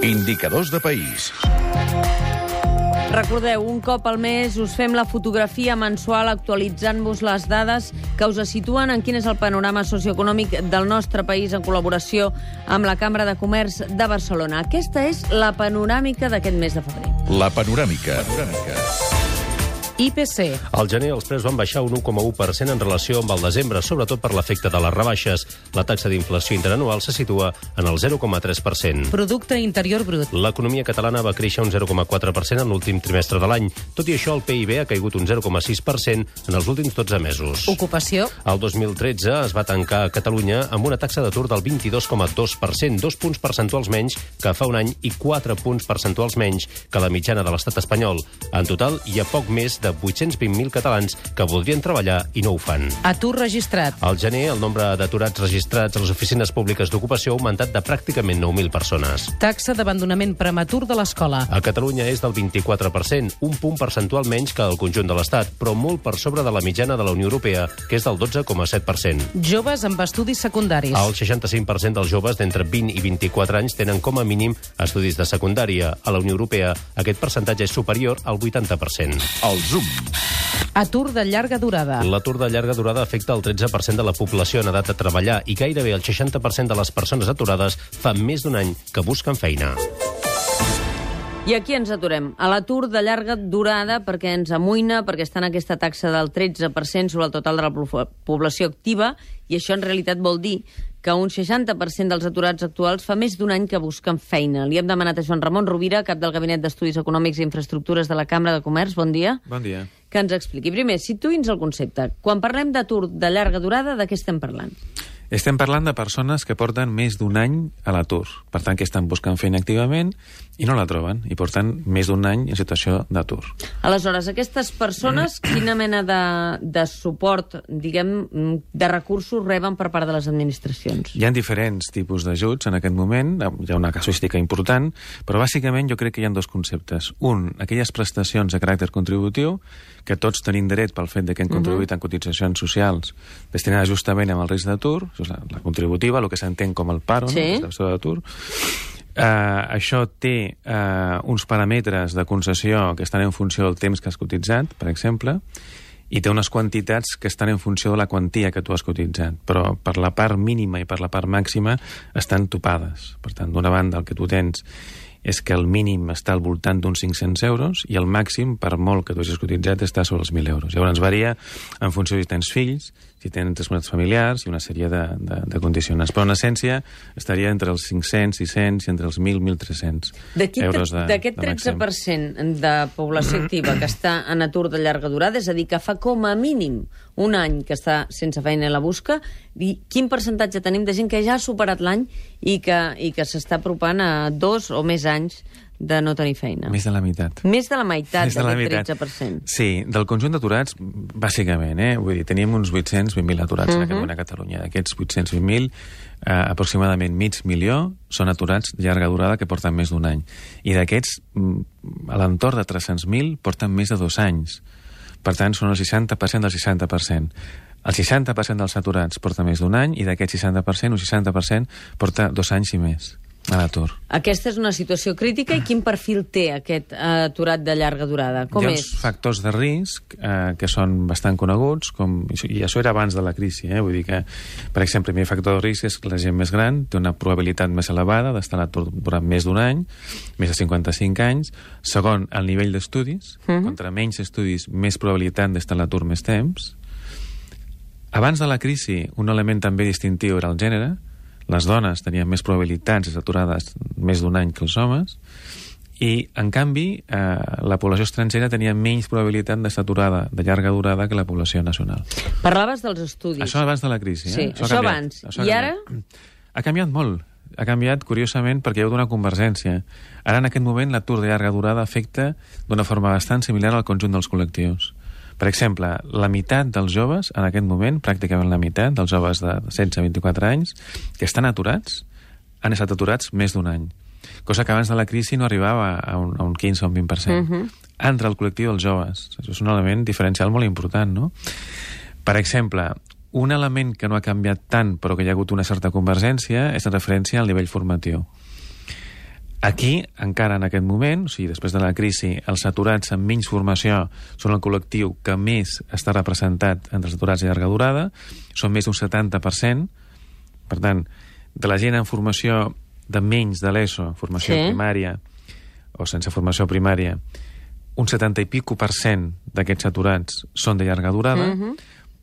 Indicadors de país. Recordeu, un cop al mes us fem la fotografia mensual actualitzant-vos les dades que us situen en quin és el panorama socioeconòmic del nostre país en col·laboració amb la Cambra de Comerç de Barcelona. Aquesta és la panoràmica d'aquest mes de febrer. La panoràmica. IPC. Al gener els preus van baixar un 1,1% en relació amb el desembre, sobretot per l'efecte de les rebaixes. La taxa d'inflació interanual se situa en el 0,3%. Producte Interior Brut. L'economia catalana va créixer un 0,4% en l'últim trimestre de l'any. Tot i això, el PIB ha caigut un 0,6% en els últims 12 mesos. Ocupació. El 2013 es va tancar a Catalunya amb una taxa d'atur del 22,2%, 2 punts percentuals menys que fa un any i 4 punts percentuals menys que la mitjana de l'estat espanyol. En total, hi ha poc més de 820.000 catalans que voldrien treballar i no ho fan. Atur registrat. Al gener, el nombre d'aturats registrats a les oficines públiques d'ocupació ha augmentat de pràcticament 9.000 persones. Taxa d'abandonament prematur de l'escola. A Catalunya és del 24%, un punt percentual menys que el conjunt de l'Estat, però molt per sobre de la mitjana de la Unió Europea, que és del 12,7%. Joves amb estudis secundaris. El 65% dels joves d'entre 20 i 24 anys tenen com a mínim estudis de secundària. A la Unió Europea, aquest percentatge és superior al 80%. El Zoom. Atur de llarga durada. L'atur de llarga durada afecta el 13% de la població en edat de treballar i gairebé el 60% de les persones aturades fa més d'un any que busquen feina. I aquí ens aturem, a l'atur de llarga durada, perquè ens amoïna, perquè està en aquesta taxa del 13% sobre el total de la població activa, i això en realitat vol dir que un 60% dels aturats actuals fa més d'un any que busquen feina. Li hem demanat a Joan Ramon Rovira, cap del Gabinet d'Estudis Econòmics i Infraestructures de la Cambra de Comerç, bon dia. Bon dia. Que ens expliqui. Primer, situï'ns el concepte. Quan parlem d'atur de llarga durada, de què estem parlant? Estem parlant de persones que porten més d'un any a l'atur. Per tant, que estan buscant feina activament i no la troben. I porten més d'un any en situació d'atur. Aleshores, aquestes persones, quina mena de suport, diguem, de recursos reben per part de les administracions? Hi ha diferents tipus d'ajuts en aquest moment. Hi ha una casuística important, però bàsicament jo crec que hi ha dos conceptes. Un, aquelles prestacions de caràcter contributiu, que tots tenim dret pel fet que hem contribuït en cotitzacions socials destinades justament amb el risc d'atur, la contributiva, el que s'entén com el paro, sí, no? La prestació d'atur. Això té uns paràmetres de concessió que estan en funció del temps que has cotitzat, per exemple, i té unes quantitats que estan en funció de la quantia que tu has cotitzat, però per la part mínima i per la part màxima estan topades. Per tant, d'una banda, el que tu tens és que el mínim està al voltant d'uns 500 euros i el màxim, per molt que tu hagis cotitzat, està sobre els 1.000 euros. Llavors varia en funció si tens fills, si tens responsabilitats familiars i una sèrie de condicionants. Però en essència estaria entre els 500, 600 i entre els 1.000, 1.300 euros de màxim. D'aquest 13% de població activa que està en atur de llarga durada, és a dir, que fa com a mínim un any que està sense feina i la busca, i quin percentatge tenim de gent que ja ha superat l'any i que s'està apropant a 2 o més anys de no tenir feina? Més de la meitat. Més de la meitat d'aquest 13%. Sí, del conjunt d'aturats, bàsicament, vull dir, tenim uns 820.000 aturats en aquest moment a Catalunya. D'aquests 820.000, aproximadament mig milió són aturats de llarga durada que porten més d'un any. I d'aquests, a l'entorn de 300.000 porten més de 2 anys. Per tant, són el 60% del 60%. El 60% dels aturats porta més d'un any i d'aquest 60%, un 60% porta 2 anys i més a l'atur. Aquesta és una situació crítica i quin perfil té aquest aturat de llarga durada? Com és? Hi ha uns factors de risc que són bastant coneguts, i això era abans de la crisi, vull dir que, per exemple, el primer factor de risc és que la gent més gran té una probabilitat més elevada d'estar a l'atur durant més d'un any, més de 55 anys. Segon, el nivell d'estudis. Contra menys estudis, més probabilitat d'estar a l'atur més temps. Abans de la crisi, un element també distintiu era el gènere. Les dones tenien més probabilitats d'estar aturades més d'un any que els homes, i, en canvi, la població estrangera tenia menys probabilitat d'estar aturada de llarga durada que la població nacional. Parlaves dels estudis. Això abans de la crisi. Sí, això abans. I ara? Ha canviat molt. Ha canviat, curiosament, perquè hi ha hagut una convergència. Ara, en aquest moment, l'atur de llarga durada afecta d'una forma bastant similar al conjunt dels col·lectius. Per exemple, la meitat dels joves, en aquest moment, pràcticament la meitat dels joves de 16 a 24 anys, que estan aturats, han estat aturats més d'un any. Cosa que abans de la crisi no arribava a un 15 o un 20%. Entre el col·lectiu dels joves. Això és un element diferencial molt important, no? Per exemple, un element que no ha canviat tant, però que hi ha hagut una certa convergència, és en referència al nivell formatiu. Aquí, encara en aquest moment, o sigui, després de la crisi, els aturats amb menys formació són el col·lectiu que més està representat entre els aturats de llarga durada, són més d'un 70%. Per tant, de la gent en formació de menys de l'ESO, formació primària, o sense formació primària, un 70 i pico % d'aquests aturats són de llarga durada,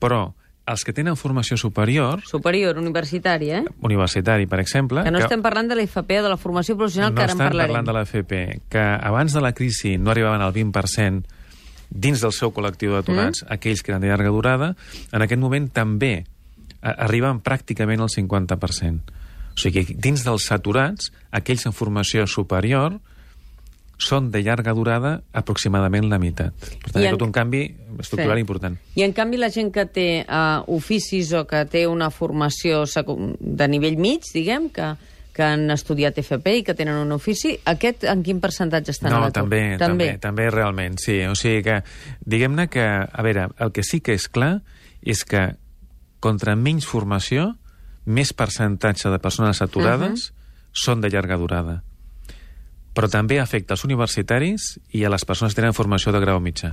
però els que tenen formació superior... Superior, universitària, Universitari, per exemple... Que no estem parlant de l'IFP o de la formació professional, que ara en parlarem. No estem parlant de l'IFP, que abans de la crisi no arribaven al 20% dins del seu col·lectiu d'aturats, aquells que eren de llarga durada, en aquest moment també arriben pràcticament al 50%. O sigui, dins dels aturats, aquells en formació superior són de llarga durada aproximadament la meitat. Per tant, hi ha tot un canvi estructural important. I en canvi la gent que té oficis o que té una formació de nivell mig, diguem, que han estudiat FP i que tenen un ofici, aquest en quin percentatge estan a l'atur? També realment, sí. O sigui que, diguem-ne que, a veure, el que sí que és clar és que contra menys formació, més percentatge de persones aturades són de llarga durada. Però també afecta els universitaris i a les persones que tenen formació de grau mitjà.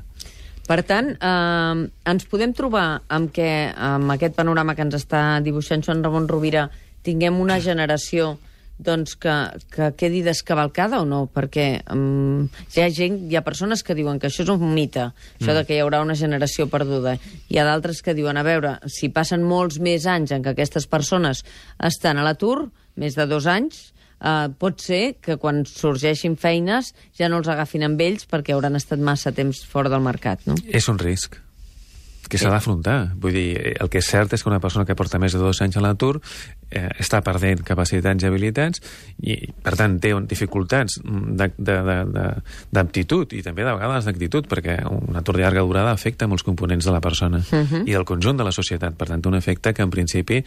Per tant, ens podem trobar amb que amb aquest panorama que ens està dibuixant Joan Ramon Rovira tinguem una generació doncs, que quedi descavalcada o no? Perquè hi ha persones que diuen que això és un mite, això de que hi haurà una generació perduda. Hi ha d'altres que diuen, a veure, si passen molts més anys en què aquestes persones estan a l'atur, més de 2 anys, pot ser que quan sorgeixin feines ja no els agafin amb ells perquè hauran estat massa temps fora del mercat, no? És un risc que s'ha d'afrontar. Vull dir, el que és cert és que una persona que porta més de 2 anys a l'atur està perdent capacitats i habilitats i, per tant, té dificultats d'aptitud i també de vegades d'actitud, perquè un atur de llarga durada afecta molts components de la persona i del conjunt de la societat. Per tant, un efecte que en principi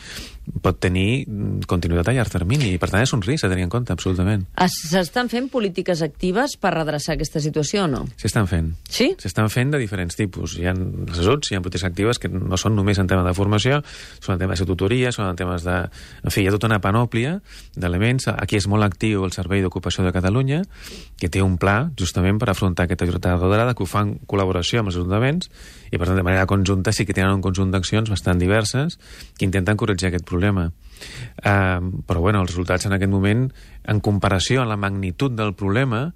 pot tenir continuïtat a llarg termini i, per tant, és un risc a tenir en compte, absolutament. S'estan fent polítiques actives per redreçar aquesta situació o no? S'estan fent. Sí? S'estan fent de diferents tipus. Hi ha els ajuts, hi ha polítiques actives que no són només en temes de formació, són en temes de tutoria, són en temes de... En fi, hi ha tota una panòplia d'elements. Aquí és molt actiu el Servei d'Ocupació de Catalunya, que té un pla justament per afrontar aquesta llarga durada, que ho fa en col·laboració amb els ajuntaments, i per tant, de manera conjunta sí que tenen un conjunt d'accions bastant diverses que intenten corregir aquest problema. Però, bueno, els resultats en aquest moment, en comparació amb la magnitud del problema,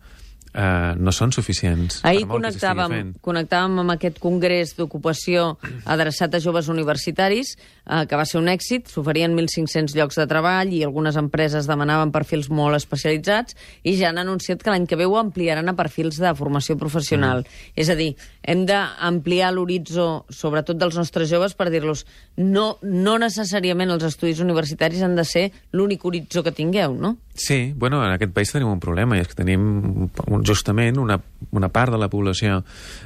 no són suficients. Ahir connectàvem amb aquest congrés d'ocupació adreçat a joves universitaris, que va ser un èxit. S'oferien 1.500 llocs de treball i algunes empreses demanaven perfils molt especialitzats i ja han anunciat que l'any que ve ho ampliaran a perfils de formació professional. És a dir, hem d'ampliar l'horitzó, sobretot dels nostres joves, per dir-los no necessàriament els estudis universitaris han de ser l'únic horitzó que tingueu, no? Sí, bueno, en aquest país tenim un problema, i és que tenim justament una part de la població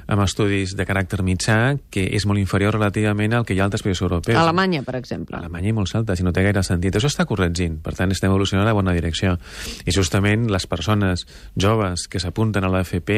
amb estudis de caràcter mitjà que és molt inferior relativament al que hi ha a altres països europeus. Alemanya, per exemple. Alemanya i molt alta, si no té gaire sentit. Això està corregint, per tant estem evolucionant a la bona direcció. I justament les persones joves que s'apunten a l'AFP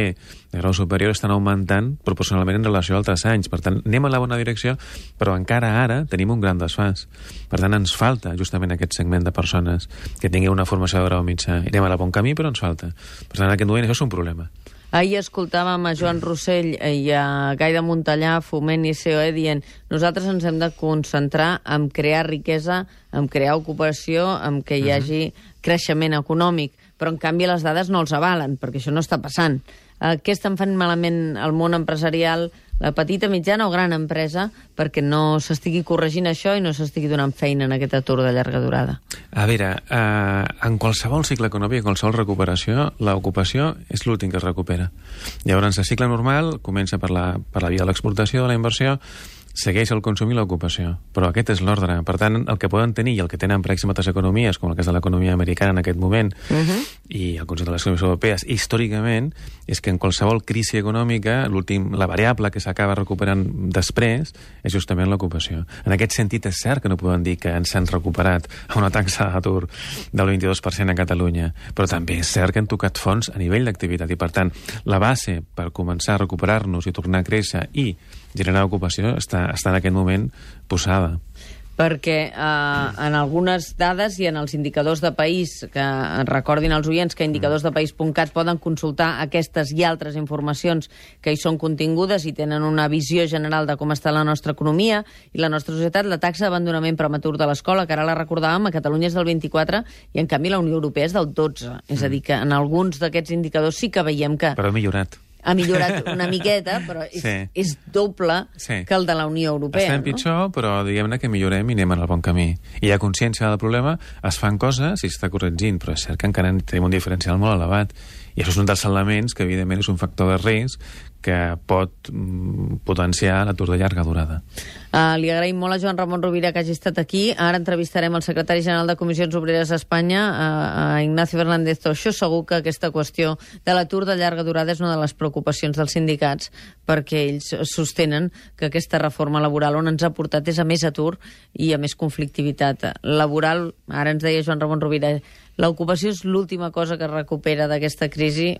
de grau superior estan augmentant proporcionalment en relació a altres anys. Per tant, anem a la bona direcció, però encara ara tenim un gran desfàs. Per tant, ens falta justament aquest segment de persones que tinguin una formació de grau mitjà. Anem a la bon camí, però ens falta. Per tant, en aquest moment això és un problema. Ahir escoltàvem a Joan Rossell i a Gai de Montellà, Foment i COE, dient nosaltres ens hem de concentrar en crear riquesa, en crear ocupació, en que hi hagi creixement econòmic, però en canvi les dades no els avalen, perquè això no està passant. Què estan fent malament el món empresarial, la petita, mitjana o gran empresa, perquè no s'estigui corregint això i no s'estigui donant feina en aquest atur de llarga durada? A veure, en qualsevol cicle econòmic, en qualsevol recuperació, l'ocupació és l'últim que es recupera. Llavors, el cicle normal comença per la via de l'exportació, de la inversió, segueix el consum i l'ocupació, però aquest és l'ordre. Per tant, el que poden tenir i el que tenen, per exemple, altres economies, com el cas de l'economia americana en aquest moment, i el conjunt de les economies europees, històricament, és que en qualsevol crisi econòmica, la variable que s'acaba recuperant després és justament l'ocupació. En aquest sentit, és cert que no poden dir que ens han recuperat a una taxa d'atur del 22% a Catalunya, però també és cert que han tocat fons a nivell d'activitat, i per tant, la base per començar a recuperar-nos i tornar a créixer i generar ocupació està en aquest moment posada. perquè en algunes dades i en els indicadors de país, que recordin als oients que indicadorsdepaís.cat poden consultar aquestes i altres informacions que hi són contingudes i tenen una visió general de com està la nostra economia i la nostra societat. La taxa d'abandonament prematur de l'escola, que ara la recordàvem, a Catalunya és del 24 i en canvi la Unió Europea és del 12. És a dir, que en alguns d'aquests indicadors sí que veiem que Però ha millorat. ha millorat una miqueta, però és doble que el de la Unió Europea. Estem pitjor, però diguem-ne que millorem i anem en el bon camí. Hi ha consciència del problema, es fan coses i s'està corregint, però és cert que encara tenim un diferencial molt elevat. I això és un dels elements que, evidentment, és un factor de risc que pot potenciar l'atur de llarga durada. Li agraïm molt a Joan Ramon Rovira que hagi estat aquí. Ara entrevistarem el secretari general de Comissions Obreres d'Espanya, a Ignacio Fernández Toixo. Segur que aquesta qüestió de l'atur de llarga durada és una de les preocupacions dels sindicats, perquè ells sostenen que aquesta reforma laboral on ens ha portat és a més atur i a més conflictivitat laboral. Ara ens deia Joan Ramon Rovira, l'ocupació és l'última cosa que es recupera d'aquesta crisi.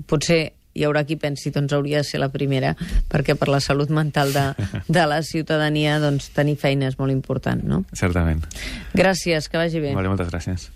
Potser hi haurà qui pensi, doncs hauria de ser la primera, perquè per la salut mental de la ciutadania, doncs tenir feina és molt important, no? Certament. Gràcies, que vagi bé. Vale, moltes gràcies.